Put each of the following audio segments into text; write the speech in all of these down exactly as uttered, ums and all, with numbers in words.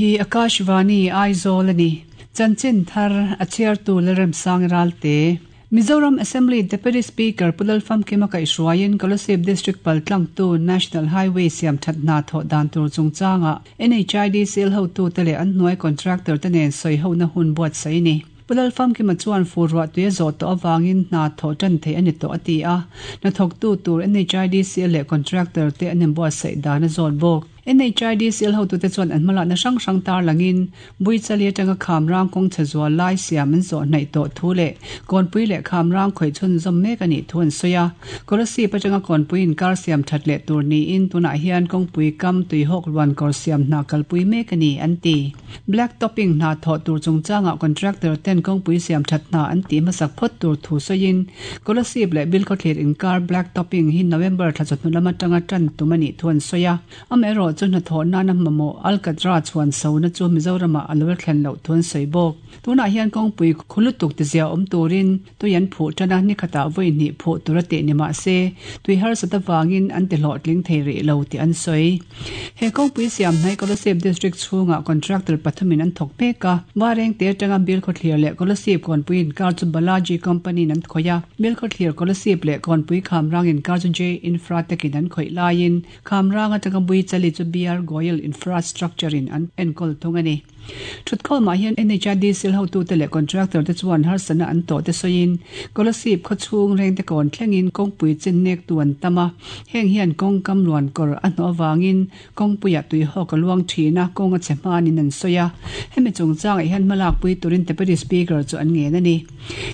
Hei hi Akashvani Aizawl ani. Chanchin thar a chhiartu Lalremsang Ralte. Mizoram Assembly Deputy Speaker Pu Lalfamkima kaihhruaiin Kolasib District paltlangtu National Highway siam that hna thawh dan tur chungchanga N H I D C L hotute leh an hnuai contractor te nen sawihona hun buatsaih a ni. Pu Lalfamkima chuan fur ruah tui a zawh tawh avangin hna thawh tan theih a ni tawh a ti a, hnathawktu tur N H I D C L leh contractor te an inbuatsaih dan a zawt bawk. N H I D C L hotute chuan an hmalakna hrang hrang tarlangin Buichali atanga Khamrang kawng chhe zual lai siam an zawh hnaih tawh thu leh Kawnpui leh Khamrang khawih chhunzawm mek a nih thu an sawi a. Kolasib atanga Kawnpui inkar siam that leh tur niin tunah hian kawngpui kam tuihawk luan kawr siam hna kalpui mek a ni an ti. Black topping hna thawh tur chungchangah contractor ten kawngpui siam that hna an tih hmasak phawt tur thu sawiin Kolasib leh Bilkhawthlir inkar black topping hi November thla chawhnu lam atanga tan tum a nih thu an sawi a. Amaherawhchu chu hnathawh nana mamawh alkatra chhuan sona chu Mizoramah a lo thlen loh thu an sawi bawk. Tunah hian kawngpui khu lutuk tizia awm turin tui an phuh tana ni khatah vawi hnih phuh tur a tih ni mahse tui harsat avangin an ti hlawhtling thei rih lo tih an sawi. He kawngpui siam hnai Kolasib District chhungah contractor pathumin an thawk mek a. Varengte atanga Bilkhawthlir leh Kolasib Kawnpui inkar chu Balaji Company in an khawih a. Bilkhawthlir Kolasib leh Kawnpui Khamrang inkar chu J Infratech in an khawih laiin Khamrang atanga Buichali chu B R Goyal Infrastructure in an enkawl thung a ni. Thutkhawmah hian N H I D C L hotute leh contractor te chuan harsatna an tawh te sawiin Kolasib khawchhung rengte kawn thlengin kawngpui chin nek tu an tam a. Heng hian kawng kam luan kawr a hnawh awangin kawngpuiah tuihawk a luang thin a, kawng a chhe hmanin an sawi a. Hemi chungchangah hian hmalak pui turin Deputy Speaker chu an ngen a ni.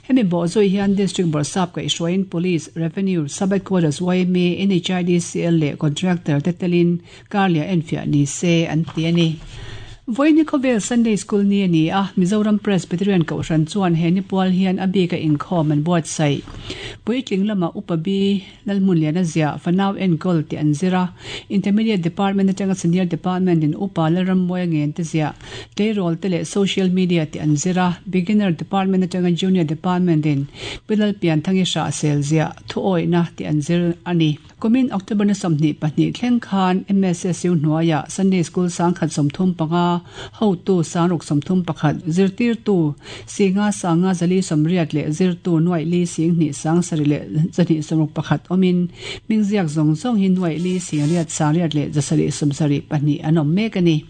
Hemi bawhzawih hian District Bawrhsap kaihhruaiin Police, Revenue, Sub-Headquarters Y M A, N H I D C L leh contractor te telin karliah enfiah ni se an ti a ni. Vawiin hi khawvel Sunday School ni a ni a, Mizoram Presbyterian Kohhran chuan he ni pual hian a bika inkhawm an buatsaih. Puitling lama Upa B Lalhmunliana ziah Fanau Enkawl tih an zir a, Intermediate Department atanga Senior Department in Upa Lalrammuaia ngen te ziah Tleirawl te leh Social Media tih an zir a, Beginner Department atanga Junior Department in Pi Lalpianthangi Hrahsel ziah Thuawihna tih an zir a ni. Kumin October ni sawmhnih pahnih thleng khan M S S U hnuaiah Sunday School sangkhat sawmthum panga, hotu sangruk sawmthum pakhat, zirtirtu singa sanga zali sawmriat leh zirtu nuaih li sing hnih sang sarih leh zahnih sawmruk pakhat awmin hmingziak zawng zawng hi nuaih li singriat sangriat leh zasarih sawmsarih pahnih an awm mek a ni.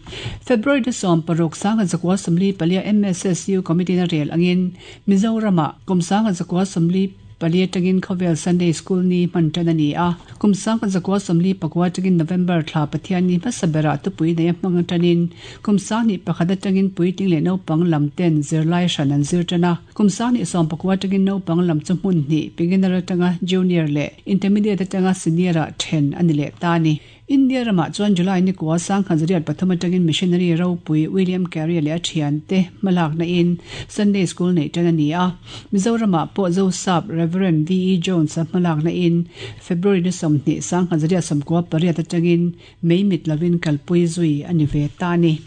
February ni sawm paruk sangkhat zakua sawmli palia M S S U Committee na rel angin Mizoramah kum sangkhat zakua sawmli pali atangin khawvel Sunday School ni hman tan a ni a. Kum sangkhat zakua sawmli pakua atangin November thla Pathian ni hmasa berah tupui nei a hmang atanin kum sanghnih pakhat atangin puitling leh naupang lam ten zirlai hran an zir tan a. Kum sanghnih sawm pakua atangin naupang lam chu hmun hnih, beginner atanga junior leh intermediate atanga senior ah then a ni leh ta a ni. India ramah chuan July ni kua sangkhat zariat pathum atangin missionary ropui William Carey leh a thian te hmalakna in Sunday School nei tan a ni a. Mizoramah pawh Zosap Reverend V E Jones a hmalakna in February ni sawmhnih sangkhat zariat sawmkua pariat atangin mei mit lovin kalpui zui a ni ve ta a ni.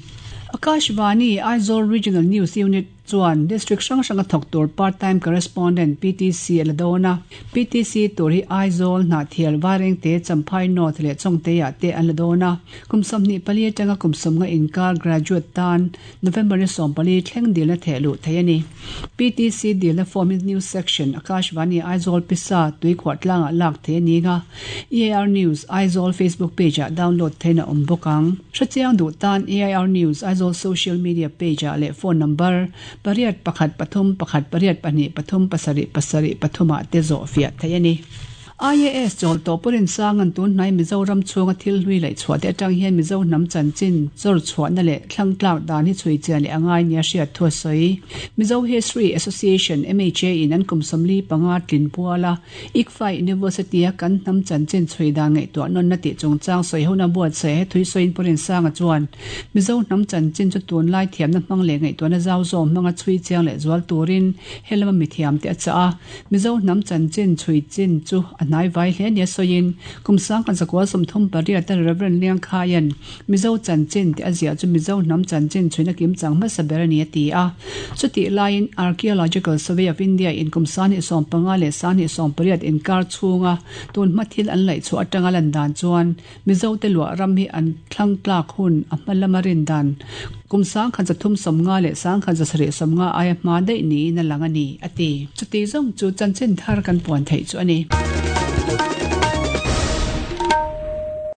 Akashvani Aizawl Regional News Unit chuan District hrang hranga thawk tur Part Time Correspondent P T C a la dawn a. P T C tur hi Aizawl, Hnahthial, Varengte, Champhai North leh Chawngte-ah te an la dawn a. Kum sawmhnih pali atanga kum sawmnga inkar graduate tan November ni sawm pali thleng dilna theh luh thei a ni. P T C dilna form hi News Section, Akashvani Aizawl Pisa, Tuikhuah tlangah lak thei a ni nga. A I R News Aizawl Facebook page-ah download theihna awm bawk ang. Hrechiang duh tan A I R News Aizawl social media page-ah leh phone number pariat pakhat pathum pakhat pariat pahnih pathum pasarih pasarih pathumah te zawh fiah thei a ni. I A S chawl tawh Pu Rinsanga'n tun hnai Mizoram chhunga thil hlui laih chhuah te atang hian Mizo hnam chanchin chawr chhuahna leh thlang tlak dan hi chhui chian leh a ngai nia hriat thu a sawi. Mizo History Association M H A in an kum sawmli panga tlin puala I C F A University a kan hnam chanchin chhui dan ngaihtuah nawn na tih chungchang sawi hona buatsaih he thui sawiin Pu Rinsanga chuan Mizo hnam chanchin chu tun lai thiamna hmang leh ngaihtuahna zau zawm hmanga chhui chiang leh zual turin helama mithiam te a chah a. Mizo hnam chanchin chhui chin chu a hnaivai hle nia sawiin kum sangkhat zakua sawmthum pariat a Reverend Liangkhaian Mizo chanchin tih a ziah chu Mizo hnam chanchin chhuina kimchang hmasa ber a ni a ti a. Chutih laiin Archaeological Survey of India in kum sanghnih sawm panga leh sanghnih sawm pariat inkar chhunga tun hma thil an laih chhuah atanga lan dan chuan Mizo te luah ram hi an thlang tlak hun a hma lama rin dan kum sangkhat zathum sawmnga leh sangkhat zasarih sawmnga aia hma daih niin a lang a ni a ti. Chuti zawng chu chanchin thar kan puan theih chu a ni.